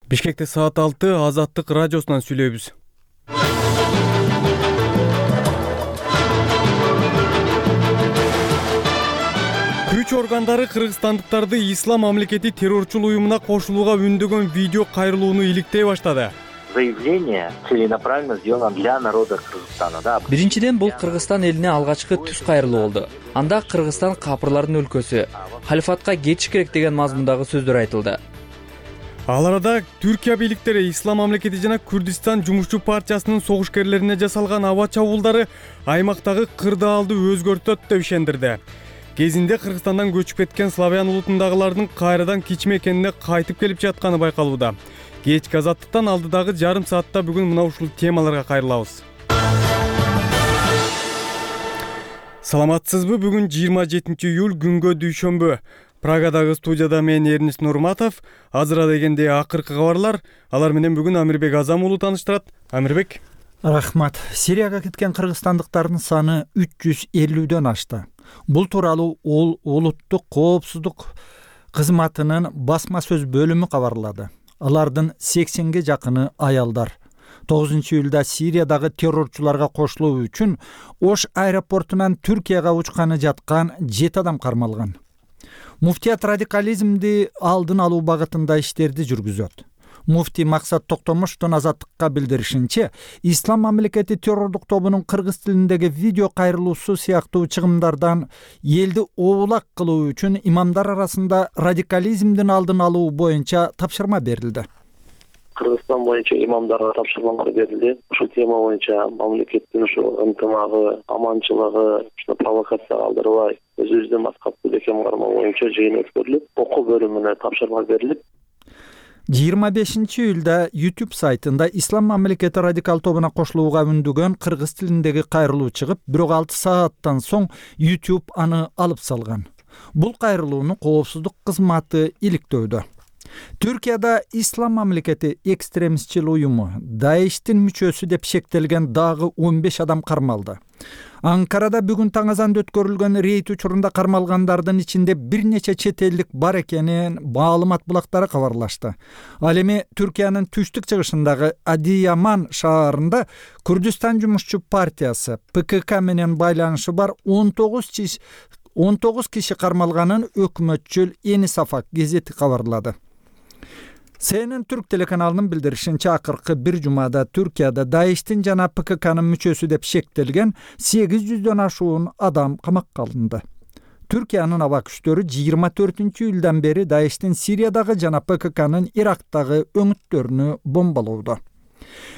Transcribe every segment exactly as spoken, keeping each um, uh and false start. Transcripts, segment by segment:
Бишкекте саат алты Азаттык радиосунан сүйлөйбүз. Күч органдары кыргызстандыктарды ислам мамлекети террорчул уюмуна кошулууга үндөгөн видео кайрылууну иликтей баштады. Заявление целенаправленно сделано для народа Кыргызстана, да. Биринчиден, бул Кыргызстан элине алгачкы түз кайрылуу болду. Анда Кыргызстан капырлардын өлкөсү, халифатка кетиш керек деген мазмундагы сөздөр айтылды. Ал арада Түркия бийликтери ислам мамлекети жана Күрдистан жумушчу партиясынын согушкерлерине жасалган аба чабуулдары аймактагы кырдаалды өзгөртөт деп ишендирди. Кезинде Кыргызстандан көчүп кеткен славян улутундагылардын кайрадан кич мекенине кайтып келип жатканы байкалууда. Кечки Азаттыктан алдыдагы жарым саатта бүгүн мына ушул темаларга кайрылабыз. Саламатсызбы? Бүгүн жыйырма жетинчи июль күнгө дүйшөмбү. Прагадагы студияда мен Эрнис Нурматов. Азыр дегенде акыркы кабарлар. Алар менен бүгүн Амирбек Азам уулу тааныштырат. Амирбек. Рахмат. Сирияга кеткен кыргызстандыктардын саны үч жүз элүүдөн ашты. Бул тууралуу ол улуттук коопсуздук кызматынын басма сөз бөлүмү кабарлады. Алардын сексенге жакыны аялдар. тогузунчу июлда Сириядагы террорчуларга кошулуу үчүн Ош аэропортунан Түркияга учканы жаткан жети адам кармалган. Муфтият радикализмди алдын алуу багытында иштерди жүргүзөт. Муфти Максат Токтомуштун Азаттыкка билдиришинче, ислам мамлекети террордук тобунун кыргыз тилиндеги видео кайрылуусу сыяктуу чыгымдардан элди оолак кылуу үчүн имамдар арасында радикализмдин алдын алуу боюнча тапшырма берилди. Кыргызстан боюнча имамдарга тапшырмалар берилди. Ушул тема боюнча мамлекеттин ушул ынтымагы, аманчылыгы, ушул провокация калтырбай, өзүбүздүн маскат бекем кармоо боюнча жыйын өткөрүлүп, окуу бөлүмүнө тапшырма берилип, жыйырма бешинчи июлда YouTube сайтында ислам мамлекети радикал тобуна кошулууга үндөгөн кыргыз тилиндеги кайрылуу чыгып, бирок алты сааттан соң YouTube аны алып салган. Бул кайрылууну коопсуздук кызматы иликтөөдө. Түркияда ислам мамлекети экстремистчил уюму Даиштин мүчөсү деп шектелген дагы он беш адам кармалды. Анкарада бүгүн таң азанда өткөрүлгөн рейд учурунда кармалгандардын ичинде бир нече чет элдик бар экенин маалымат булактары кабарлашты. Ал эми Түркиянын түштүк чыгышындагы Адияман шаарында Күрдистан жумушчу партиясы Пэ Ка Ка менен байланышы бар он тогуз киши кармалганын өкмөтчүл Эни Сафак гезети кабарлады. Си Эн Эн Түрк телеканалынын билдиришинче, акыркы бир жумада Түркияда Даиштин жана Пэ Ка Канын мүчөсү деп шектелген сегиз жүздөн ашуун адам камакка алынды. Түркиянын аба күчтөрү жыйырма төртүнчү июлдан бери Даиштин Сириядагы жана Пэ Ка Канын Ирактагы өңүттөрүнү бомбалоодо.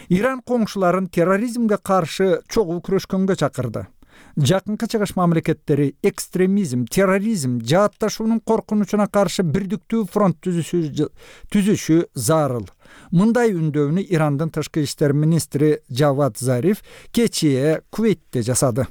Иран коңшуларын терроризмге каршы чогуу күрөшкөнгө чакырды. Жакынкы чыгыш мамлекеттери экстремизм, терроризм, жаатташуунун коркунучуна каршы бирдиктүү фронт түзүшү зарыл. Мындай үндөөнү Ирандын тышкы иштер министри Жавад Зариф кечээ Кувейтте жасады.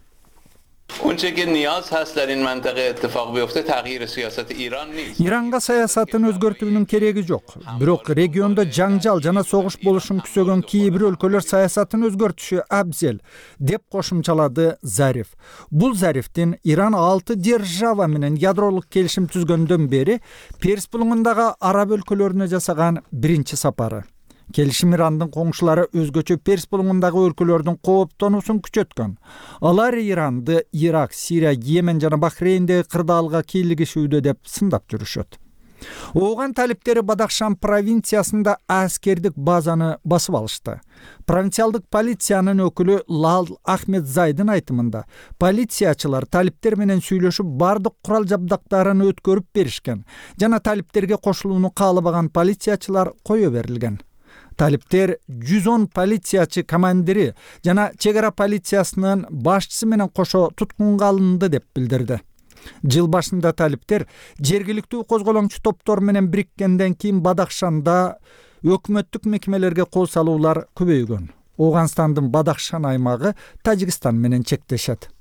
Иранга саясатын өзгөртүүнүн кереги жок. Бирок региондо жаңжал жана согуш болушун күзөгөн кээ бир өлкөлөр саясатын өзгөртүшү абзел, деп кошумчалады Зариф. Бул Зарифтин Иран алты держава менен ядролук келишим түзгөндөн бери Перс булуңундагы араб өлкөлөрүнө жасаган биринчи сапары. Келишим Ирандын коңшулары өзгөчө Перс булуңундагы өлкөлөрдүн кооптонуусун күчөткөн. Алар Иранды Ирак, Сирия, Йемен жана Бахрейндеги кырдаалга кийлигишүүдө деп сындап жүрүшөт. Ооган талиптери Бадахшан провинциясында аскердик базаны басып алышты. Провинциалдык полициянын өкүлү Лал Ахмед Зайдын айтымында, полициячылар талиптер менен сүйлөшүп бардык курал жабдыктарын өткөрүп беришкен жана талиптерге кошулууну каалабаган полициячылар кое берилген. Талиптер жүз он полициячы командири жана чек ара полициясынын башчысы менен кошо туткунга алынды деп билдирди. Жыл башында талиптер жергиликтүү козголоңчу топтор менен бириккенден кийин Бадахшанда өкмөттүк мекемелерге кол салуулар көбөйгөн. Оганстандын Бадахшан аймагы Тажикстан менен чектешет.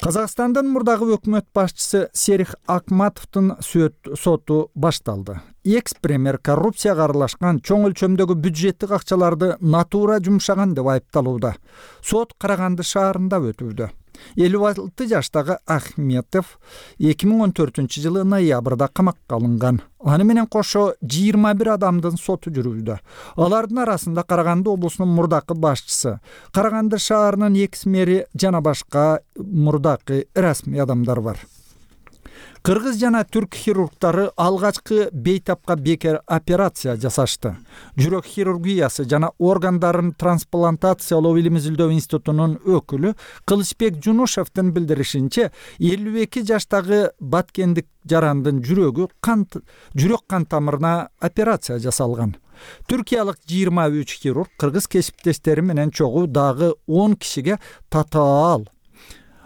Казакстандын мурдагы өкмөт башчысы Серих Акматовдун соту башталды. Экс-премьер коррупцияга аралашкан чоң өлчөмдөгү бюджеттик акчаларды натура жумшаган деп айыпталууда. Сот Караганды шаарында өтүүдө. элүү алты жаштагы Ахметов эки миң он төртүнчү жылы ноябрда камакка алынган. Аны менен кошо жыйырма бир адамдын соту жүрүүдө. Алардын арасында Караганды облусунун мурдакы башчысы, Караганды шаарынын экс мэри жана башка мурдакы расмий адамдар бар. Кыргыз жана түрк хирургдары алгачкы бейтапка бекер операция жасашты. Жүрөк хирургиясы жана органдарын трансплантациялоо билим изилдөө институтунун өкүлү Кылычбек Жунушевдин билдиришинче, элүү эки жаштагы баткендик жарандын жүрөгү кант жүрөк кан тамырына операция жасалган. Түркиялык жыйырма үч хирург кыргыз кесиптештери менен чогуу дагы он кишиге татаал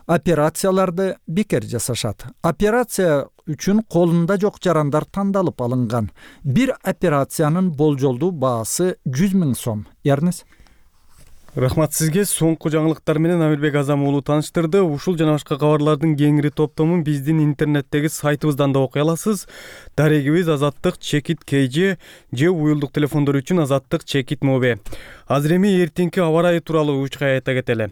операцияларды бекер жасашат. Операция үчүн колунда жок жарандар тандалып алынган. Бир операциянын болжолдуу баасы жүз миң сом. Ярнес. Рахмат сизге. Соңку жаңылыктар менен Амирбек Азам уулу тааныштырды. Ушул жана башка кабарлардын кеңири топтомун биздин интернеттеги сайтыбыздан да окуй аласыз. Дарегибиз азаттык чекит kg же уюлдук телефондор үчүн азаттык чекит mob. Азыр эми эртеңки аба ырайы тууралуу учка айта кетели.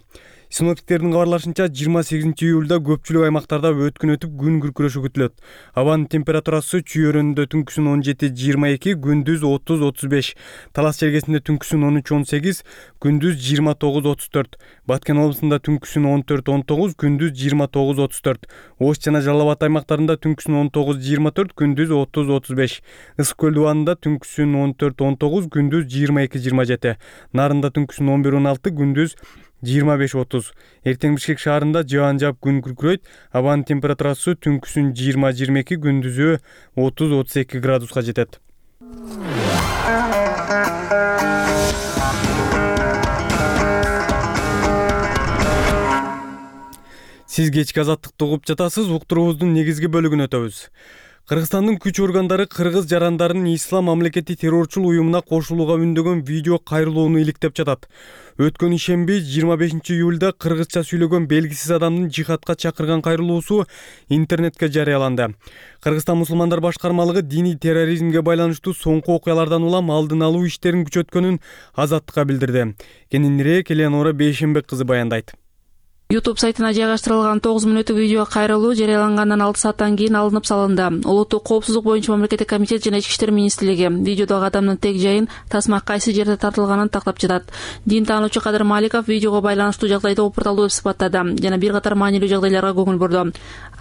Синоптиктердин кабарлашынча жыйырма сегизинчи июлда көпчүлүк аймактарда өткүн өтүп күн күркүрөшү күтүлөт. Абанын температурасы чүйөрүндө түнкүсүн он жети жыйырма эки, күндүз отуз отуз беш. Талас жергесинде түнкүсүн он үч он сегиз, күндүз жыйырма тогуз отуз төрт. Баткен облусунда түнкүсүн он төрт он тогуз, күндүз жыйырма тогуз отуз төрт. Ош жана Жалал Абад аймактарында түнкүсүн он тогуз жыйырма төрт, күндүз отуз отуз беш. Ысык көл дубанында түнкүсүн он төрт он тогуз, күндүз жыйырма эки жыйырма жети. Нарында түнкүсүн он бир он алты, күндүз жыйырма беш отуз. Эртең Бишкек шаарында жаан жаап күн күркүрөйт. Абанын температурасы түнкүсүн жыйырма жыйырма эки, күндүзү отуз отуз эки градуска жетет. Сиз кечки азаттыкты угуп жатасыз. Уктуруубуздун негизги бөлүгүнө өтөбүз. Кыргызстандын күч органдары кыргыз жарандарын ислам мамлекети террорчул уюмуна кошулууга үндөгөн видео кайрылууну иликтеп жатат. Өткөн ишемби жыйырма бешинчи июлда кыргызча сүйлөгөн белгисиз адамдын жихадка чакырган кайрылуусу интернетке жарыяланды. Кыргызстан мусулмандар башкармалыгы диний терроризмге байланыштуу соңку окуялардан улам алдын алуу иштерин күчөткөнүн Азаттыкка билдирди. Кененирээк Элеонора Бейшембек кызы баяндайт. YouTube сайтына жайгаштырылган тогуз мүнөттүк видео кайрылуу жарыялангандан алты сааттан кийин алынып салынды. Улуттук коопсуздук боюнча мамлекеттик комитет жана Ички иштер министрлиги видеодогу адамдын тег жайын, тасма кайсы жерде тартылганын тактап жатат. Дин таануучу Кадыр Маликов видеого байланыштуу жагдайды опурталдуу деп сыпаттады жана бир катар маанилүү жагдайларга көңүл бурду.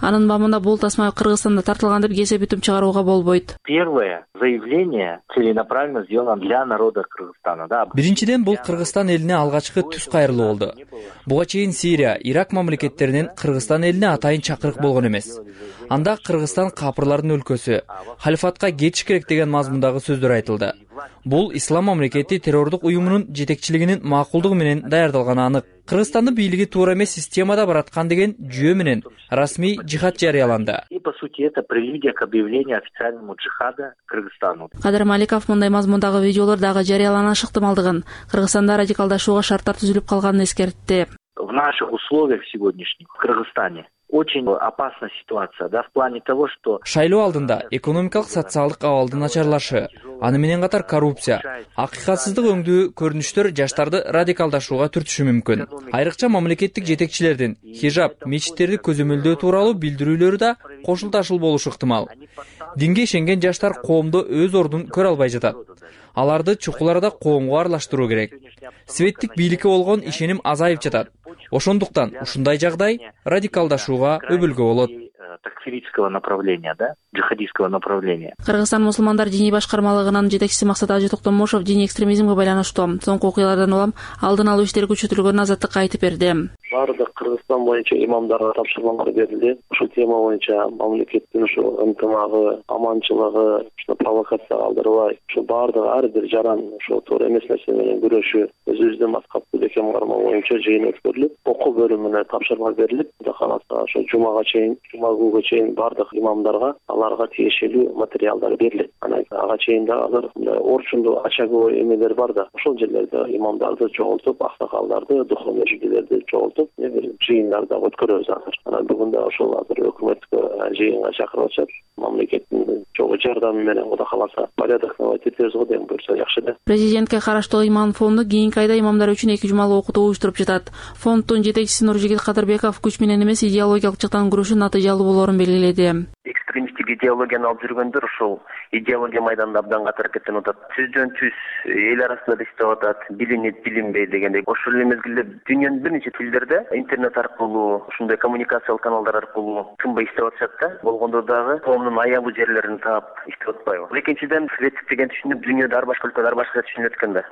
Анын бабында бул тасма Кыргызстанда тартылган деп кесип бүтүм чыгарууга болбойт. Первое заявление целенаправленно сделано для народа Кыргызстана, да. Биринчиден, бул Кыргызстан элине алгачкы түз кайрылуу болду. Буга чейин Сирия, Ирак мамлекеттеринен Кыргызстан элине атайын чакырык болгон эмес. Анда Кыргызстан капырлардын өлкөсү, халифатка кетиш керек деген мазмундагы сөздөр айтылды. Бул ислам мамлекети террордук уюмунун жетекчилигинин макулдугу менен даярдалганы анык. Кыргызстандын бийлиги туура эмес системада бараткан деген жүйө менен расмий жихад жарыяланды. И по сути это прелюдия к объявлению официальному джихада Кыргызстану. Кадыр Маликов мындай мазмундагы видеолор дагы жарыяланышы ыктымалдыгын, Кыргызстанда радикалдашууга шарттар түзүлүп калганын эскертти. В наших условиях сегодняшних в Кыргызстане очень опасная ситуация, да, в плане того, что шайлоо алдында экономикалык социалдык абалдын начарлашы, аны менен катар коррупция, акыйкатсыздык өңдүү көрүнүштөр жаштарды радикалдашууга түртүшү мүмкүн. Айрыкча мамлекеттик жетекчилердин хижаб, мечиттерди көзөмөлдөө тууралуу билдирүүлөрү да кошулташыл болушу ыктымал. Динге ишенген жаштар коомдо өз ордун көрө албай жатат. Аларды чукул арада коомго аралаштыруу керек. Светтик бийликке болгон ишеним азайып жатат. Ошондуктан ушундай жагдай радикалдашууга өбөлгө болот. такфирического направления, да, джихадистского направления. Кыргызстан мусулмандар диний башкармалыгынын жетекчиси Максат Ажы Токтомушов диний экстремизмге байланыштуу соңку окуялардан улам алдын алуу иштери күчөтүлгөнүн Азаттыкка айтып берди. Бардык Кыргызстан боюнча имамдарга тапшырмалар берилди. Ушул тема боюнча мамлекеттин ушу ынтымагы, аманчылыгы, ушу провокация калтырбай, ушу бардык ар бир жаран ушу туура эмес нерсе менен күрөшү, өзүбүздүн маскаттуу бекем кармоо боюнча жыйын өткөрүлүп, окуу бөлүмүнө тапшырма берилип, кудайкааласа ошо жумага чейин, жума күнгө чейин бардык имамдарга аларга тиешелүү материалдар берилет. Анан ага чейин да азыр орчундуу очаговой эмелер бар да, ошол жерлерде имамдарды чогултуп, аксакалдарды, духовный жигилерди чогултуп тартып бир жыйындар да өткөрөбүз азыр. Анан бүгүн да ошол азыр өкмөткө жыйынга чакырып атышат. Мамлекеттин чогуу жардамы менен Кудай кааласа порядок наводить этебиз го деп буюрса жакшы да. Президентке караштуу иман фонду кийинки айда имамдар үчүн эки жумалык окутуу уюштуруп жатат. Фонддун жетекчиси Нуржигит Кадырбеков күч менен эмес идеологиялык жактан күрөшүү натыйжалуу болоорун белгиледи. Экстремисттик идеологияны алып жүргөндөр ошол идеология майданында абдан катуу аракеттенип атат. Түздөн түз эл арасында иштеп атат, билинет, билинбей дегендей. Ошол эле мезгилде дүйнөнүн бир нече тилдерде интернет аркылуу, ушундай коммуникациялык каналдар аркылуу тынбай иштеп атышат да. Болгондо дагы коомдун аябуу жерлерин таап иштеп атпайбы. Экинчиден, советтик деген түшүнүк дүйнөдө ар башка өлкөдө ар башка түшүнүлөт экен да.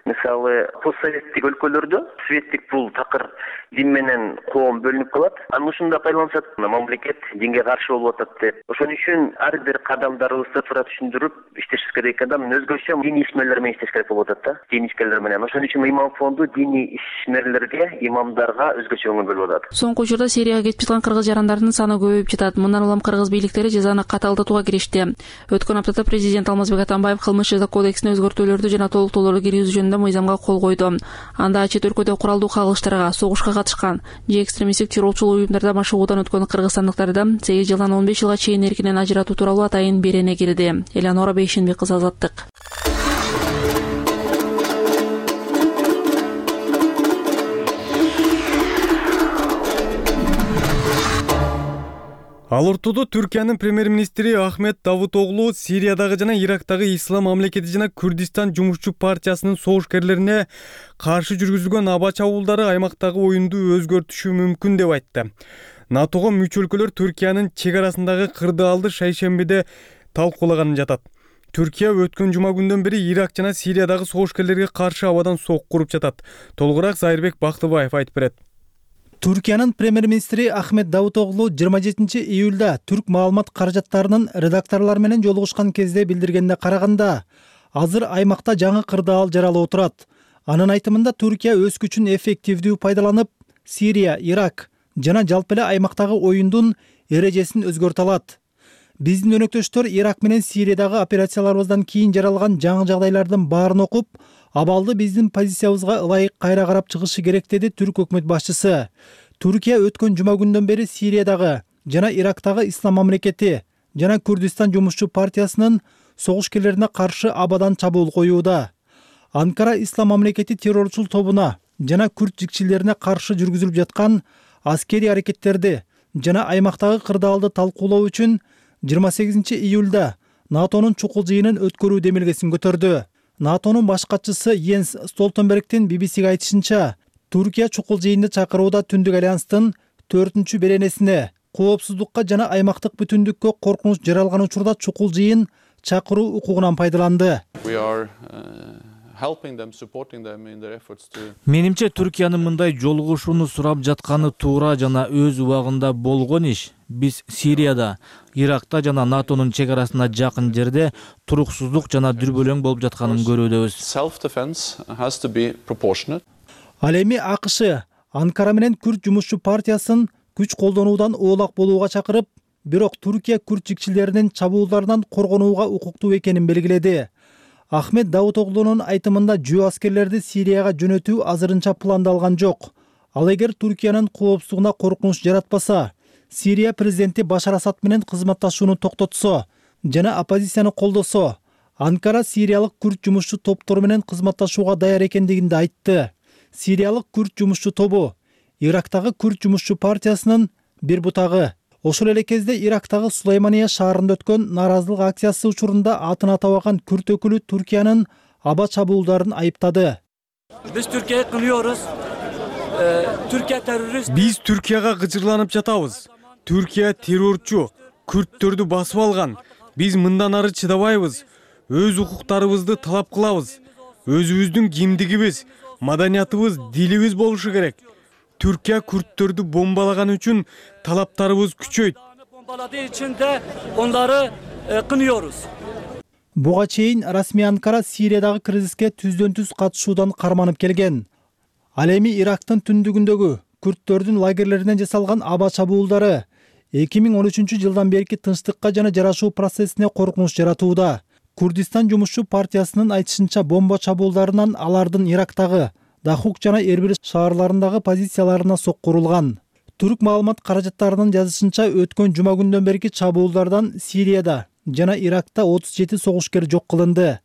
Мисалы, постсоветтик өлкөлөрдө светтик бул такыр дин менен коом бөлүнүп калат. Анан ушунда пайдаланышат, мамлекет динге каршы болуп атат деп. Ошон үчүн ар бир кадамдарыбызды туура түшүндүрүп иштешибиз керек экен да. Өзгөчө диний ишмерлер менен иштеш керек болуп атат да. Диний ишмерлер менен. Ошон үчүн имам фонду диний ишмерлерге, имамдарга өзгөчө көңүл бөлүп атат. Соңку учурда Сирияга кетип жаткан кыргыз жарандардын саны көбөйүп жатат. Мындан улам кыргыз бийликтери жазаны катаалтатууга киришти. Өткөн аптада президент Алмазбек Атамбаев кылмыш жаза кодексине өзгөртүүлөрдү жана толуктоолорду киргизүү жөнүндө мыйзамга кол койду. Анда чет өлкөдө куралдуу кагылыштарга, согушка катышкан же экстремисттик террорчул уюмдарда машыгуудан өткөн кыргызстандыктарды сегиз жылдан он беш жылга чейин эркинен ажыратуу тууралуу атайын берене кирди. Элеонора Бейшенбек кызы, Азаттык. Ал ортодо Түркиянын премьер-министри Ахмет Давутоглу Сириядагы жана Ирактагы Ислам мамлекети жана Күрдистан жумушчу партиясынын согушкерлерине каршы жүргүзүлгөн аба чабуулдары аймактагы оюнду өзгөртүшү мүмкүн деп айтты. НАТОго мүчө өлкөлөр Түркиянын чек арасындагы кырдаалды шайшембиде талкуулаганын жатат. Түркия өткөн жума күндөн бери Ирак жана Сириядагы согушкерлерге каршы абадан сок куруп жатат. Толугураак Зайырбек Бактыбаев айтып берет. Түркиянын премьер-министри Ахмет Давутоглу жыйырма жетинчи июлда түрк маалымат каражаттарынын редакторлор менен жолугушкан кезде билдиргенде караганда, азыр аймакта жаңы кырдаал жаралып турат. Анын айтымында Түркия өз күчүн эффективдүү пайдаланып, Сирия, Ирак жана жалпы эле аймактагы оюндун эрежесин өзгөртө алат. Биздин өнөктөштөр Ирак менен Сириядагы операцияларыбыздан кийин жаралган жаңы жагдайлардын баарын окуп, абалды биздин позициябызга ылайык кайра карап чыгышы керек, деди түрк өкмөт башчысы. Түркия өткөн жума күндөн бери Сириядагы жана Ирактагы Ислам мамлекети жана Күрдистан жумушчу партиясынын согушкерлерине каршы абадан чабуул коюуда. Анкара Ислам мамлекети террорчул тобуна жана күрд жикчилерине каршы жүргүзүлүп жаткан аскерий аракеттерди жана аймактагы кырдаалды талкуулоо үчүн жыйырма сегизинчи июлда НАТОнун чукул жыйынын өткөрүү демилгесин көтөрдү. НАТОнун баш катчысы Йенс Столтенбергдин би би сиге айтышынча, Түркия чукул жыйынды чакырууда Түндүк альянстын төртүнчү беренесине коопсуздукка жана аймактык бүтүндүккө коркунуч жаралган учурда чукул жыйын чакыруу укугунан пайдаланды. Менимче Түркиянын мындай жолугушууну сурап жатканы туура жана өз убагында болгон иш. Биз Сирияда, Иракта жана НАТОнун чек арасына жакын жерде туруксуздук жана дүрбөлөң болуп жатканын көрүүдөбүз. Ал эми АКШ Анкара менен Күрд жумушчу партиясын күч колдонуудан оолак болууга чакырып, бирок Түркия күрд жикчилеринин чабуулдарынан коргонууга укуктуу экенин белгиледи. Ахмет Давутоглунун айтымында жөө аскерлерди Сирияга жөнөтүү азырынча пландалган жок. Ал эгер Түркиянын коопсуздугуна коркунуч жаратпаса, Сирия президенти Башар Асад менен кызматташууну токтотсо жана оппозицияны колдосо, Анкара сириялык күрд жумушчу топтору менен кызматташууга даяр экендигин да айтты. Сириялык күрд жумушчу тобу Ирактагы күрд жумушчу партиясынын бир бутагы. Ошол эле кезде Ирактагы Сулаймания шаарында өткөн нааразылык акциясы учурунда атын атабаган күрд өкүлү Түркиянын аба чабуулдарын айыптады. Биз Түркияны кынıyoruz. Түркия террорист. Биз Түркияга гыжырланып жатабыз. Түркия террорчу, күрттөрдү басып алган. Биз мындан ары чыдабайбыз. Өз укуктарыбызды талап кылабыз. Өзүбүздүн кимдигибиз, маданиятыбыз, дилибиз болушу керек. Түркия күрттөрдү бомбалаган үчүн талаптарыбыз күчөйт. Bombaladığı için de onları kınıyoruz. Буга чейин расмий Анкара Сириядагы кризиске түздөн түз катышуудан карманып келген. Ал эми Ирактын түндүгүндөгү күрттөрдүн лагерлеринен жасалган аба чабуулдары эки миң он үчүнчү жылдан берки тынчтыкка жана жарашуу процессине коркунуч жаратууда. Күрдистан жумушчу партиясынын айтышынча бомба чабуулдарынан алардын Ирактагы Дахук жана Эрбил шаарларындагы позицияларына сокку урулган. Түрк маалымат каражаттарынын жазышынча, өткөн жума күндөн берки чабуулдардан Сирияда жана Иракта отуз жети согушкер жок кылынды.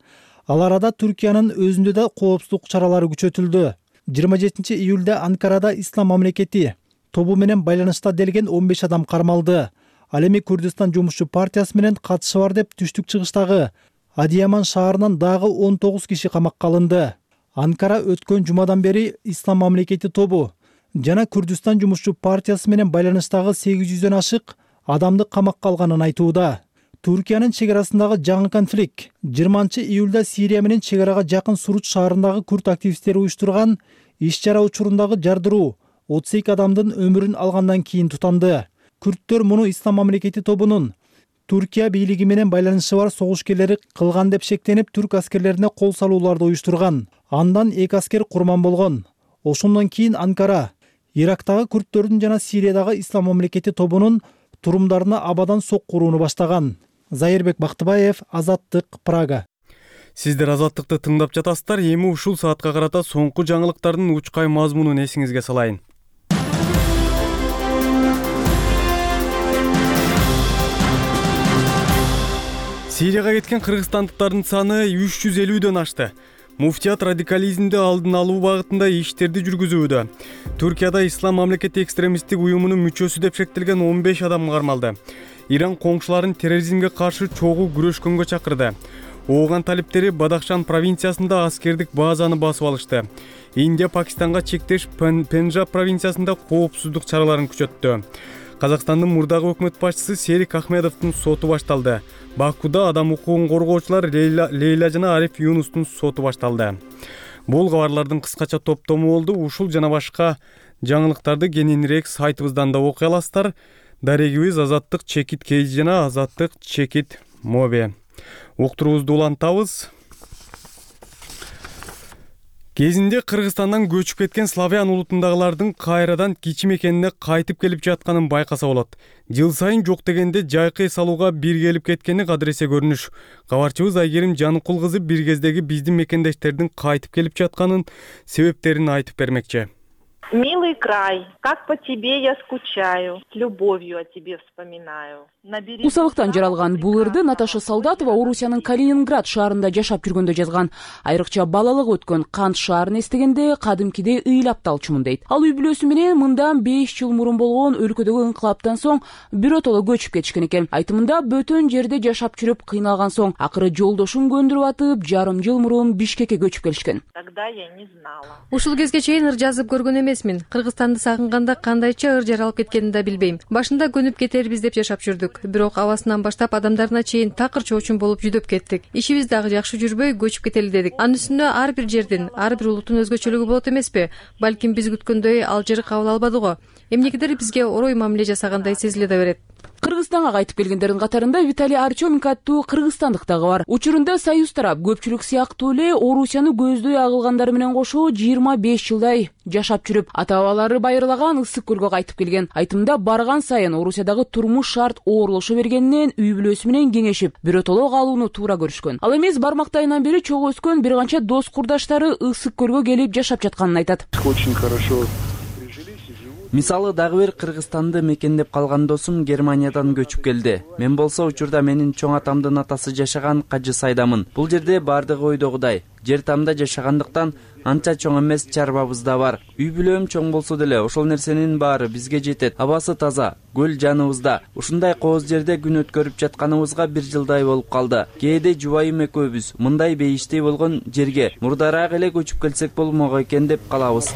Ал арада Түркиянын өзүндө да коопсуздук чаралары күчөтүлдү. жыйырма жетинчи июлда Анкарада Ислам мамлекети тобу менен байланышта делген он беш адам кармалды. Ал эми Курдистан жумушчу партиясы менен катышы бар деп түштүк чыгыштагы Адияман шаарынан дагы он тогуз киши камакка алынды. Анкара өткөн жумадан бери Ислам мамлекети тобу жана Курдистан жумушчу партиясы менен байланыштагы сегиз жүздөн ашык адамды камакка алганын айтууда. Түркиянын чек арасындагы жаңы конфликт жыйырманчы июлда Сирия менен чек арага жакын Суруч шаарындагы курд активисттери уюштурган иш-чара учурундагы жардыруу отуз эки адамдын өмүрүн алгандан кийин тутанды. Күрттөр муну Ислам мамлекети тобунун Түркия бийлиги менен байланышы бар согушкерлери кылган деп шектенип, түрк аскерлерине кол салууларды уюштурган. Андан эки аскер курман болгон. Ошондон кийин Анкара Ирактагы күрттөрдүн жана Сириядагы Ислам мамлекети тобунун турумдарына абадан сокку урууну баштаган. Зайырбек Бактыбаев, Азаттык, Прага. Сиздер Азаттыкты тыңдап жатасыздар. Эми ушул саатка карата соңку жаңылыктардын учкай мазмунун эсиңизге салайын. Сирияга кеткен кыргызстандыктардын саны үч жүз элүүдөн ашты. Муфтият радикализмди алдын алуу багытында иштерди жүргүзүүдө. Түркияда Ислам мамлекети экстремисттик уюмунун мүчөсү деп шектелген он беш адам кармалды. Иран коңшуларын терроризмге каршы чогуу күрөшкөнгө чакырды. Ооган талиптери Бадахшан провинциясында аскердик базаны басып алышты. Индия Пакистанга чектеш Пенджаб провинциясында коопсуздук чараларын күчөттү. Казакстандын мурдагы өкмөт башчысы Серик Ахмедовдун соту башталды. Бакуда адам укугун коргоочулар Лейла, Лейла жана Ариф Юнустун соту башталды. Бул кабарлардын кыскача топтому болду. Ушул жана башка жаңылыктарды кененирээк сайтыбыздан да окуй аласыздар. Дарегибиз Азаттык чекит кей жана Азаттык чекит моби. Уктуруубузду улантабыз. Кезинде Кыргызстандан көчүп кеткен славян улутундагылардын кайрадан кичи мекенине кайтып келип жатканын байкаса болот. Жыл сайын жок дегенде жайкы эс алууга бир келип кеткени кадыресе көрүнүш. Кабарчыбыз Айгерим Жаныкул кызы бир кездеги биздин мекендештердин кайтып келип жатканын себептерин айтып бермекчи. Милый край, как по тебе я скучаю, с любовью о тебе вспоминаю. Усалыктан жаралган бул ырды Наташа Солдатова Орусиянын Калининград шаарында жашап жүргөндө жазган. Айрыкча балалык өткөн Кант шаарын эстегенде кадимкидей ыйлап талчумун дейт. Ал үй бүлөсү менен мындан беш жыл мурун болгон өлкөдөгү инкылаптан соң биротоло көчүп кетишкен экен. Айтымында бөтөн жерде жашап жүрүп кыйналган соң акыры жолдошун көндүрүп атып, жарым жыл мурун Бишкекке көчүп келишкен. Тогда я не знала. Ушул кезге чейин ыр жазып көргөн эмесмин. Кыргызстанды сагынганда кандайча ыр жаралып кеткенин да билбейм. Башында көнүп кетербиз деп жашап жүрдүк. Бирок абасынан баштап адамдарына чейин такыр чоочун болуп жүдөп кеттик. Ишибиз дагы жакшы жүрбөй көчүп кетели дедик. Анын үстүнө ар бир жердин, ар бир улуттун өзгөчөлүгү болот эмеспи? Балким биз күткөндөй алжыр кабыл албады го. Эмнегедир бизге орой мамиле жасагандай сезиле да берет. Кыргызстанга кайтып келгендердин катарында Виталий Артеменко аттуу кыргызстандык дагы бар. Учурунда Союз тарап көпчүлүк сыяктуу эле Орусияны көздөй агылгандары менен кошо жыйырма беш жылдай жашап жүрүп, ата-бабалары байырлаган Ысык көлгө кайтып келген. Айтымда барган сайын Орусиядагы турмуш шарт оорлошо бергенинен үй бүлөсү менен кеңешип, биротоло калууну туура көрүшкөн. Ал эмес бармактайынан бери чогуу өскөн бир канча дос курдаштары Ысык көлгө келип жашап жатканын айтат. Очень хорошо. Мисалы дагы бир Кыргызстанды мекендеп калган досум Германиядан көчүп келди. Мен болсо учурда менин чоң атамдын атасы жашаган Кажы Сайдамын. Бул жерде бардыгы ойдогудай. Жер тамда жашагандыктан анча чоң эмес чарбабыз да бар. Үй бүлөм чоң болсо деле ошол нерсенин баары бизге жетет. Абасы таза, көл жаныбызда. Ушундай кооз жерде күн өткөрүп жатканыбызга бир жылдай болуп калды. Кээде жубайым экөөбүз мындай бейиштей болгон жерге мурдараак эле көчүп келсек болмок экен деп калабыз.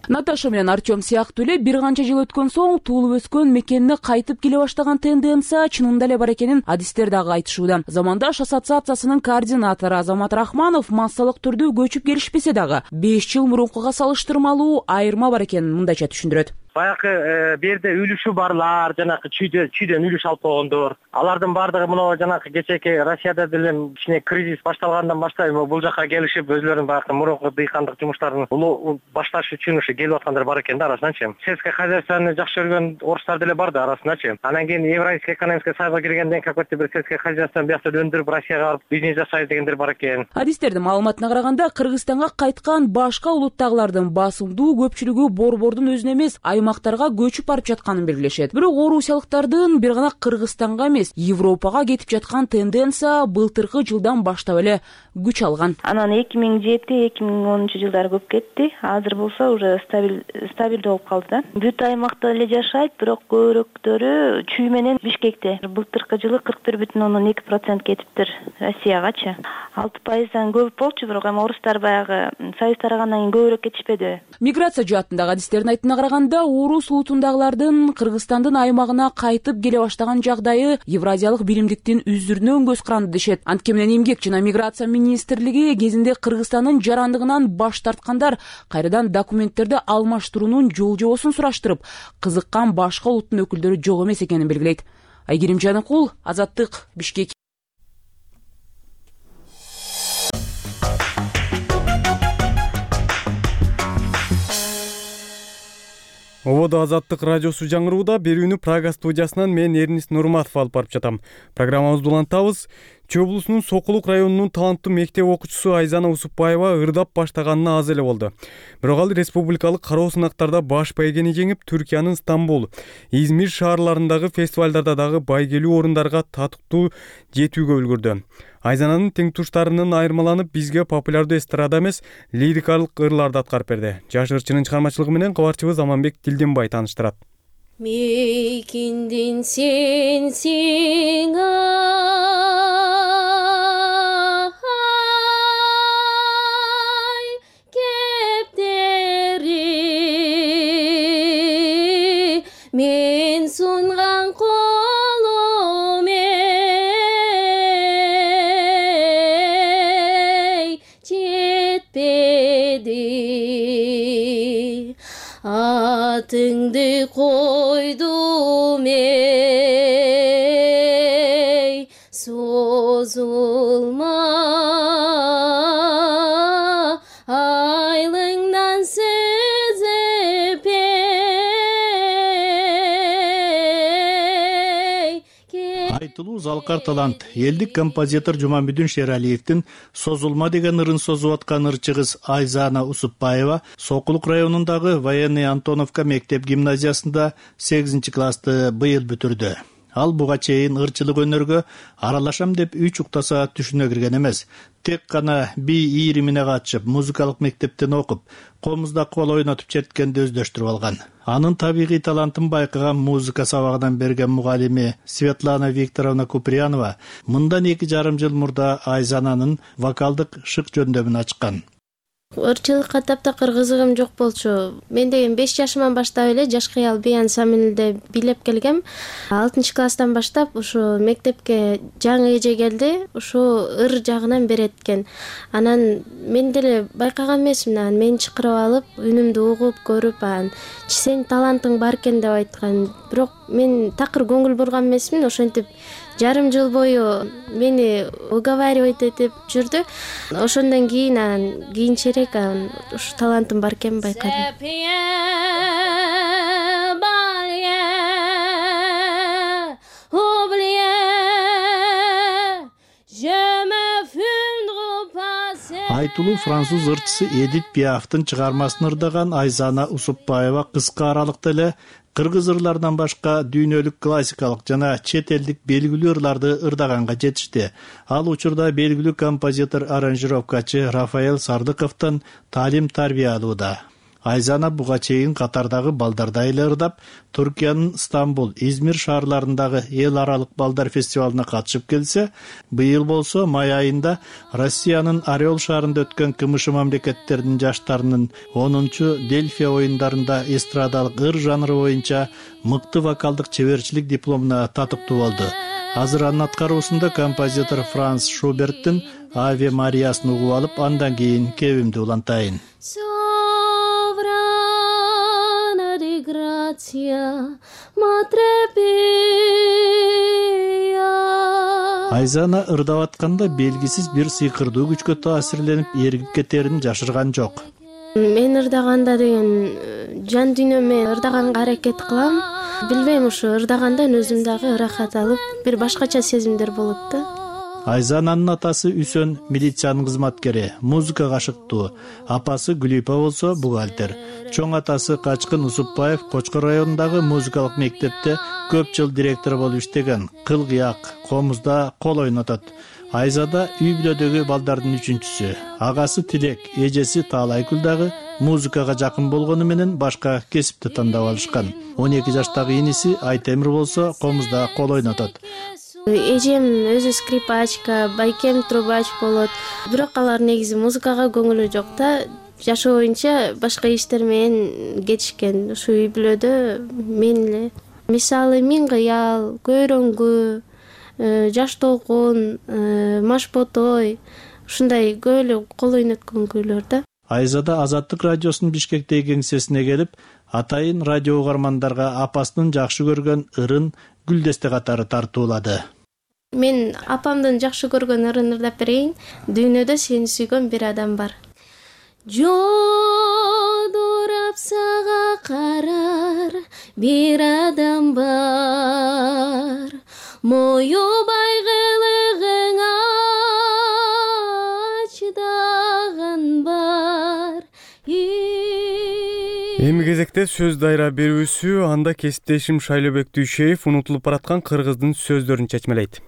Наташа менен Артем сыяктуу эле бир канча жыл өткөн соң туулуп өскөн мекенине кайтып келе баштаган тенденция чынында эле бар экенин адистер дагы айтышууда. Замандаш ассоциациясынын координатору Азамат Рахманов массалык түрдө көчүп келишпесе дагы беш жыл мурункуга салыштырмалуу айырма бар экенин мындайча түшүндүрөт. баягы берде үлүшү барлар, жанагы чүйдөн чүйдөн үлүш алып койгондор. Алардын баардыгы мына жанагы кечээки Россияда деле кичине кризис башталгандан баштап бул жака келишип өзлөрүнүн баягы мурунку дыйкандык жумуштарын улуу башташ үчүн ушу келип аткандар бар экен да арасындачы. Сельское хозяйствону жакшы көргөн орустар деле бар да арасындачы. Анан кийин Евразийский экономический союзга киргенден кийин какой-то бир сельское хозяйствону биякта өндүрүп Россияга барып бизнес жасайт дегендер бар экен. Адистердин маалыматына караганда Кыргызстанга кайткан башка улуттагылардын басымдуу көпчүлүгү борбордун өзүнө эмес аймактарга көчүп барып жатканын белгилешет. Бирок орусиялыктардын бир гана Кыргызстанга эмес, Европага кетип жаткан тенденция былтыркы жылдан баштап эле күч алган. Анан эки миң жети эки миң онунчу жылдары көп кетти. Азыр болсо уже стабиль стабилдүү болуп калды да. Бүт аймакта эле жашайт, бирок көбүрөөктөрү Чүй менен Бишкекте. Былтыркы жылы кырк бир бүтүн ондон эки процент кетиптир Россиягачы. алты пайыздан көп болчу, бирок эми орустар баягы союз тарагандан кийин көбүрөөк кетишпеди. Миграция жаатындагы адистердин айтымына караганда, орус улутундагылардын Кыргызстандын аймагына кайтып келе баштаган жагдайы Евразиялык биримдиктин үзүрүнөн көз каранды дешет. Анткени менен эмгек жана миграция министрлиги кезинде Кыргызстандын жарандыгынан баш тарткандар кайрадан документтерди алмаштыруунун жол жобосун сураштырып, кызыккан башка улуттун өкүлдөрү жок эмес экенин белгилейт. Айгерим Жаныкул, Азаттык, Бишкек. Ободо Азаттык радиосу жаңырууда берүүнү Прага студиясынан мен Эрнис Нурматов алып барып жатам. Программабызды улантабыз. Чүй облусунун Сокулук районунун таланттуу мектеп окуучусу Айзана Усупбаева ырдап баштаганына аз эле болду. Бирок ал республикалык кароо сынактарда баш байгени жеңип, Түркиянын Стамбул, Измир шаарларындагы фестивалдарда дагы байгелүү орундарга татыктуу жетүүгө үлгүрдү. Айзананын теңтуштарынын айырмаланып, бизге популярдуу эстрада эмес, лирикалык ырларды аткарып берди. Жаш ырчынын чыгармачылыгы менен кабарчыбыз Аманбек Тилденбай тааныштырат. Мейкиндин сенсиң ай, кептери мен сунган колум эй, жетпеди. Атыңды койдум эй, созулма айлыңдан сезип эй. Айтылуу залкар талант элдик композитор Жумамбүдүн Шералиевдин «Созулма» деген ырын созуп аткан ырчыгыз Айзана Усупбаева Сокулук районундагы Военный Антоновка мектеп гимназиясында сегизинчи классты быйыл бүтүрдү. Ал буга чейин ырчылык өнөргө аралашам деп үч уктаса түшүнө кирген эмес. Тек гана би ийримине катышып, музыкалык мектептен окуп, комузда кол ойнотуп черткенди өздөштүрүп алган. Анын табигый талантын байкаган музыка сабагынан берген мугалими Светлана Викторовна Куприянова мындан эки жарым жыл мурда Айзананын вокалдык шык жөндөмүн ачкан. Ырчылыкка таптакыр кызыгым жок болчу. Мен деген беш жашыман баштап эле жаш кыял би ансамбльде бийлеп келгем. алтынчы класстан баштап ушу мектепке жаңы эже келди, ушу ыр жагынан берет экен. Анан мен деле байкаган эмесмин, анан мени чакырып алып, үнүмдү угуп көрүп, анан сенин талантың бар экен деп айткан. Бирок мен такыр көңүл бурган эмесмин, ошентип жарым жыл бою мени уговаривать этип жүрдү. Ошондон кийин анан кийинчерээк ушу талантым бар экенин байкадым. Айтылуу француз ырчысы Эдит Пиафтын чыгармасын ырдаган Айзана Усупбаева кыска аралыкта эле кыргыз ырларынан башка дүйнөлүк классикалык жана чет элдик белгилүү ырларды ырдаганга жетишти. Ал учурда белгилүү композитор, аранжировкачы Рафаэль Сардыковдон таалим тарбия алууда. Айзана буга чейин катардагы балдарда эле ырдап, Түркиянын Стамбул, Измир шаарларындагы эл аралык балдар фестивалына катышып келсе, быйыл болсо май айында Россиянын Орел шаарында өткөн КМШ мамлекеттеринин жаштарынын онунчу Дельфия оюндарында эстрадалык ыр жанры боюнча мыкты вокалдык чеберчилик дипломуна татыктуу болду. Азыр анын аткаруусунда композитор Франц Шуберттин Аве Мариясын угуп алып, андан кийин кебимди улантайын. Грация, Матребия. Айзана ырдап атканда белгисиз бир сыйкырдуу күчкө таасирленип эргип кетерин жашырган жок. Мен ырдаганда деген жан дүйнөмө ырдаганга аракет кылам. Билбейм, ушу ырдагандан өзүм дагы ырахат алып, бир башкача сезимдер болот да. Айзананын атасы Үсөн милициянын кызматкери, музыкага ашыктуу. Апасы Гүлипа болсо бухгалтер. Чоң атасы Качкын Усупбаев Кочкор районундагы музыкалык мектепте көп жыл директор болуп иштеген. Кыл-кыяк, комузда кол ойнотот. Айзада үй бүлөдөгү балдардын үчүнчүсү. Агасы Тилек, эжеси Таалайкүл дагы музыкага жакын болгону менен башка кесипти тандап алышкан. он эки жаштагы иниси Айтемир болсо комузда кол ойнотот. Эжем өзү скрипачка, байкем трубач болот. Бирок алар негизи музыкага көңүлү жок да. Жашоо боюнча башка иштер менен кетишкен. Ушу үй бүлөдө мен эле. Мисалы Миң кыял, Көйрөңгү, Жаш толкун, Маш ботой, ушундай көп эле кол ойноткон күйлөр да. Айзада Азаттык радиосунун Бишкектеги кеңсесине келип, атайын радио угармандарга апасынын жакшы көргөн ырын Гүлдесте катары тартуулады. Мен апамдын жакшы көргөн ырын ырдап берейин. Дүйнөдө сени сүйгөн бир адам бар. Жодурап сага карар бир адам бар. Моюбай кылыгыңа чыдаган бар. Эми кезекте сөз дайра берүүсү, анда кесиптешим Шайлообек Дүйшеев унутулуп бараткан кыргыздын сөздөрүн чечмелейт.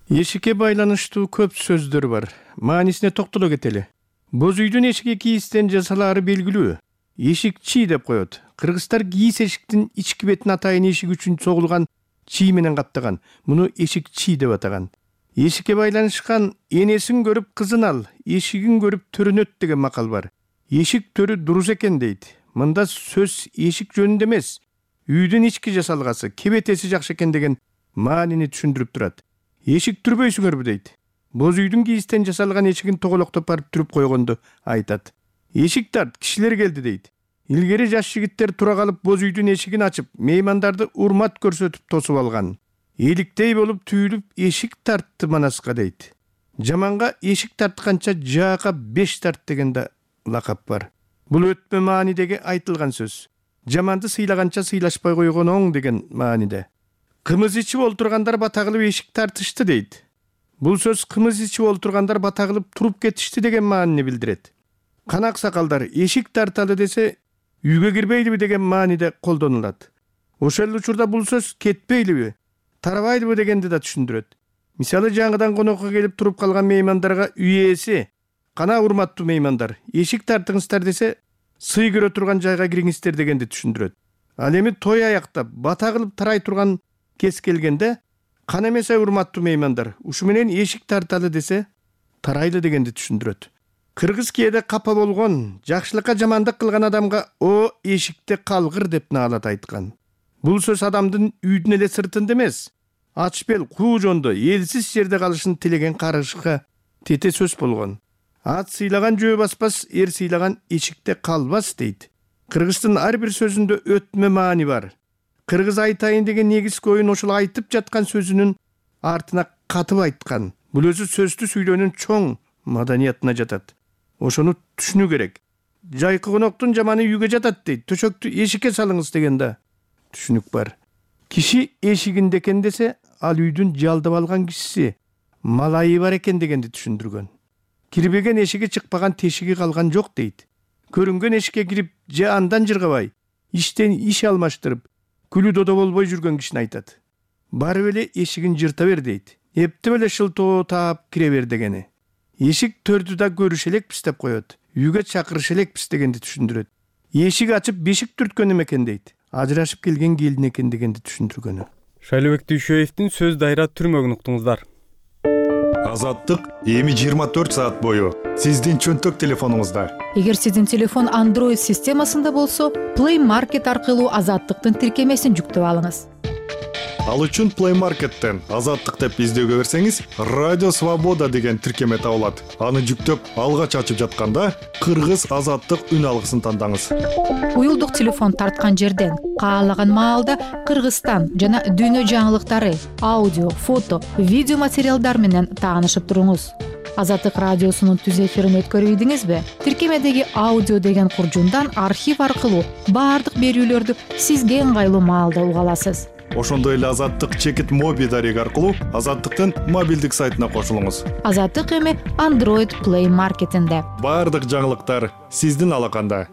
Эшикке байланыштуу көп сөздөр бар. Маанисине токтоло кетели. Боз үйдүн эшиги кийистен жасалаары белгилүү. Эшик чий деп коет. Кыргыздар кийиз эшиктин ички бетин атайын эшик үчүн согулган чий менен каптаган. Муну эшик чий деп атаган. Эшикке байланышкан энесин көрүп кызын ал, эшигин көрүп төрөнөт деген макал бар. Эшик төрү дурус экен дейт. Мында сөз эшик жөнүндө эмес, үйдүн ички жасалгасы, кебетеси жакшы экен деген маанини түшүндүрүп турат. Эшик түрбөйсүңөрбү дейт. Боз үйдүн кийистен жасалган эшигин тоголоктоп барып түрүп койгонду айтат. Эшик тарт, кишилер келди дейт. Илгери жаш жигиттер тура калып боз үйдүн эшигин ачып, меймандарды урмат көрсөтүп тосуп алган. Эликтей болуп түйүлүп эшик тартты манаска дейт. Жаманга эшик тартканча жаака беш тарт деген да лакап бар. Бул өтмө маанидеги айтылган сөз. Жаманды сыйлаганча сыйлашпай койгон оң деген мааниде. Кымыз ичип олтургандар бата кылып эшик тартышты дейт. Бул сөз кымыз ичип олтургандар бата кылып туруп кетишти деген маанини билдирет. Канак сакалдар эшик тарталы десе, үйгө кирбейлиби деген мааниде колдонулат. Ошол учурда бул сөз кетпейлиби, тарабайлыбы дегенди да түшүндүрөт. Мисалы жаңыдан конокко келип туруп калган меймандарға үй ээси, кана урматтуу меймандар, эшик тартыңыздар десе, сый көрө турган жайга кириңиздер дегенди түшүндүрөт. Ал эми той аяктап бата кылып тарай турган кез келгенде, кана эмесе урматтуу меймандар, ушу менен эшик тарталы десе, тарайлы дегенди түшүндүрөт. Кыргыз кээде капа болгон, жакшылыкка жамандык кылган адамга о эшикте калгыр деп наалат айткан. Бул сөз адамдын үйдүн эле сыртында эмес, ач бел куу жондо элсиз жерде калышын тилеген карышка тете сөз болгон. Ат сыйлаган жөө баспас, эр сыйлаган эшикте калбас дейт. Кыргыздын ар бир сөзүндө өтмө маани бар. Кыргыз айтайын деген негизги оюн ошол айтып жаткан сөзүнүн артына катып айткан. Бул өзү сөздү сүйлөөнүн чоң маданиятына жатат. Ошону түшүнүү керек. Жайкы коноктун жаманы үйгө жатат дейт. Төшөктү эшикке салыңыз деген да түшүнүк бар. Киши эшигинде экен десе, ал үйдүн жалдап алган кишиси, малайы бар экен дегенди түшүндүргөн. Кирбеген эшиги чыкпаган тешиги калган жок дейт. Көрүнгөн эшикке кирип, же андан жыргабай, иштен иш алмаштырып, күлү додо болбой жүргөн кишини айтат. Барып эле эшигин жырта бер дейт. Эптеп эле шылтоо таап кире бер дегени. Эшик төрдү да көрүш элекпиз деп коет. Үйгө чакырыш элекпиз дегенди түшүндүрөт. Эшик ачып бешик түрткөн экен дейт. Ажырашып келген келин экен дегенди түшүндүргөнү. Шайлообек Дүйшеевдин сөз дайра түрмөгүн уктуңуздар. Азаттык эми жыйырма төрт саат бою сиздин чөнтөк телефонуңузда. Эгер сиздин телефон Android системасында болсо, Play Market аркылуу Азаттыктын тиркемесин жүктөп алыңыз. Ал үчүн Play Market'ten Азаттык деп издөөгө берсеңиз, Радио Свобода деген тиркеме табылат. Аны жүктөп, алгач ачып жатканда кыргыз азаттык үн алгысын тандаңыз. Уюлдук телефон тарткан жерден каалаган маалда Кыргызстан жана дүйнө жаңылыктары, аудио, фото, видео материалдар менен таанышып туруңуз. Азаттык радиосунун түз эфирин өткөрүбүдүңүзбү? Тиркемедеги аудио деген куржундан архив аркылуу баардык берүүлөрдү сизге ыңгайлуу маалда уга аласыз. Ошондой эле Азаттык чекит моби дареги аркылуу Азаттыктын мобилдик сайтына кошулуңуз. Азаттык эми Android Play Market'инде. Баардык жаңылыктар сиздин алаканда.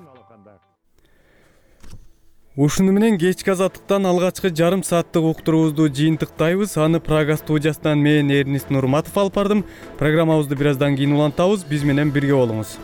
Ушуну менен кечки Азаттыктан алгачкы жарым сааттык уктуруубузду жыйынтыктайбыз. Аны Прага студиясынан мен Эрнис Нурматов алып бардым. Программабызды бир аздан кийин улантабыз. Биз менен бирге болуңуз.